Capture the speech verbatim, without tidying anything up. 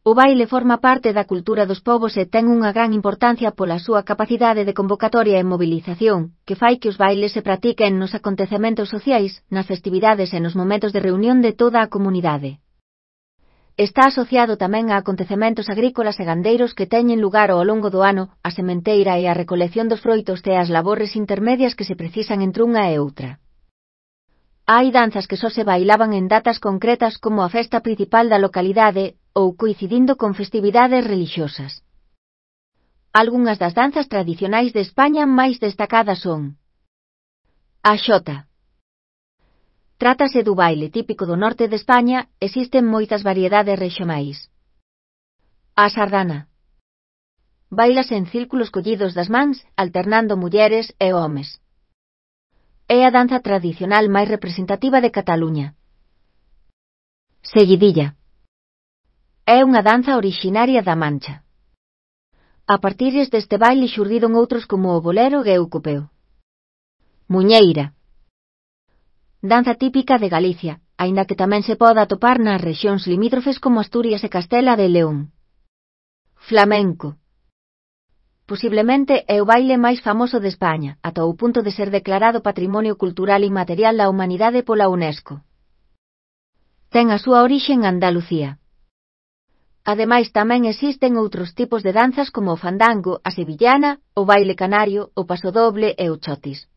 O baile forma parte da cultura dos povos e ten unha gran importancia pola súa capacidade de convocatoria e mobilización, que fai que os bailes se practiquen nos acontecementos sociais, nas festividades e nos momentos de reunión de toda a comunidade. Está asociado tamén a acontecementos agrícolas e gandeiros que teñen lugar ao longo do ano, a sementeira e a recolección dos froitos e as labores intermedias que se precisan entre unha e outra. Hai danzas que só se bailaban en datas concretas como a festa principal da localidade ou coincidindo con festividades relixiosas. Algunhas das danzas tradicionais de España máis destacadas son: a xota. Trátase do baile típico do norte de España, existen moitas variedades rexionais. A sardana. Bailase en círculos collidos das mans, alternando mulleres e homes. É a danza tradicional máis representativa de Cataluña. Seguidilla. É unha danza orixinaria da Mancha. A partires deste baile xurdiron outros como o bolero e o copeo. Muñeira. Danza típica de Galicia, aínda que tamén se pode atopar nas rexións limítrofes como Asturias e Castela de León. Flamenco. Posiblemente é o baile máis famoso de España, ata o punto de ser declarado Patrimonio Cultural Inmaterial da Humanidade pola UNESCO. Ten a súa orixe en Andalucía. Ademais tamén existen outros tipos de danzas como o fandango, a sevillana, o baile canario, o pasodoble e o chotis.